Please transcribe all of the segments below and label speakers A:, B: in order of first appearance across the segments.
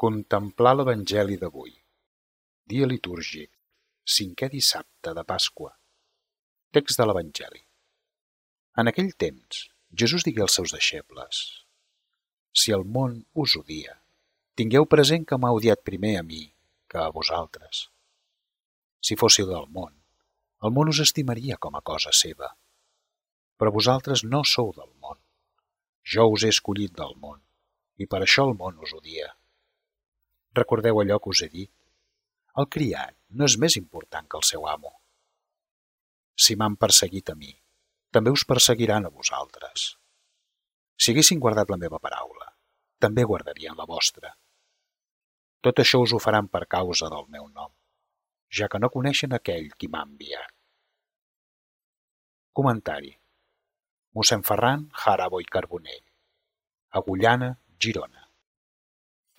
A: Contemplar l'Evangeli d'avui. Dia litúrgic, 5è dissabte de Pasqua. Text de l'Evangeli. En aquell temps, Jesús digué als seus deixebles: Si el món us odia, tingueu present que m'ha odiat primer a mi que a vosaltres. Si fóssiu del món us estimaria com a cosa seva. Però vosaltres no sou del món. Jo us he escollit del món, i per això el món us odia. Recordeu allò que us he dit? El criat no és més important que el seu amo. Si m'han perseguit a mi, també us perseguiran a vosaltres. Si haguessin guardat la meva paraula, també guardarien la vostra. Tot això us ho faran per causa del meu nom, ja que no coneixen aquell qui m'ha enviat. Comentari. Mossèn Ferran Jarabo i Carbonell, Agullana, Girona.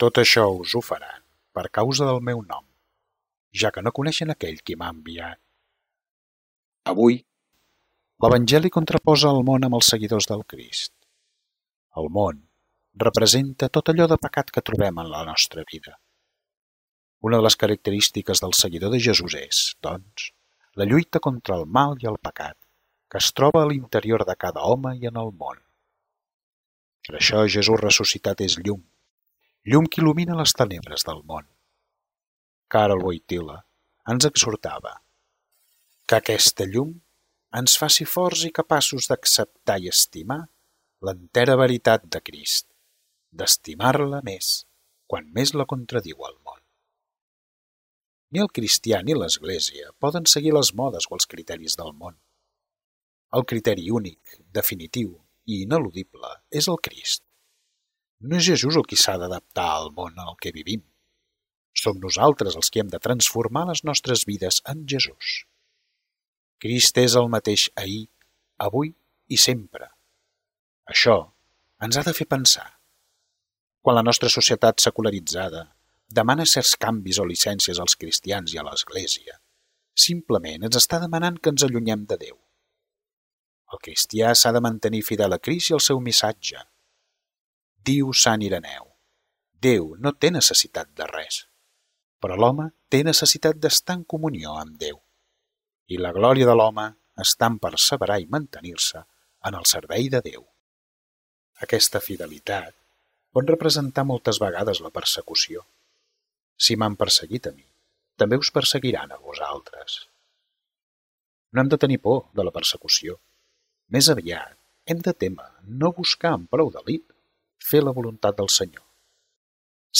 A: Tot això us ho faran per causa del meu nom, ja que no coneixen aquell qui m'ha enviat. Avui, l'Evangeli contraposa el món amb els seguidors del Crist. El món representa tot allò de pecat que trobem en la nostra vida. Una de les característiques del seguidor de Jesús és, doncs, la lluita contra el mal i el pecat que es troba a l'interior de cada home i en el món. Per això Jesús ressuscitat és llum, llum que il·lumina les tenebres del món. Karol Wojtyla ens exhortava que aquesta llum ens faci forts i capaços d'acceptar i estimar l'entera veritat de Crist, d'estimar-la més quan més la contradiu el món. Ni el cristià ni l'Església poden seguir les modes o els criteris del món. El criteri únic, definitiu i ineludible és el Crist. No és Jesús el qui s'ha d'adaptar al món en el que vivim. Som nosaltres els que hem de transformar les nostres vides en Jesús. Crist és el mateix ahir, avui i sempre. Això ens ha de fer pensar. Quan la nostra societat secularitzada demana certs canvis o llicències als cristians i a l'Església, simplement ens està demanant que ens allunyem de Déu. El cristià s'ha de mantenir fidel a Crist i al seu missatge. Diu Sant Ireneu: Déu no té necessitat de res, però l'home té necessitat d'estar en comunió amb Déu. I la glòria de l'home està en perseverar i mantenir-se en el servei de Déu. Aquesta fidelitat pot representar moltes vegades la persecució. Si m'han perseguit a mi, també us perseguiran a vosaltres. No hem de tenir por de la persecució. Més aviat, hem de témer no buscar amb prou delit fer la voluntat del Senyor.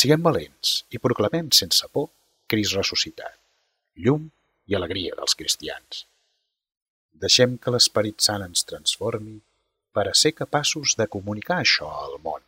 A: Siguem valents i proclamem sense por Crist ressuscitat, llum i alegria dels cristians. Deixem que l'Esperit Sant ens transformi per a ser capaços de comunicar això al món.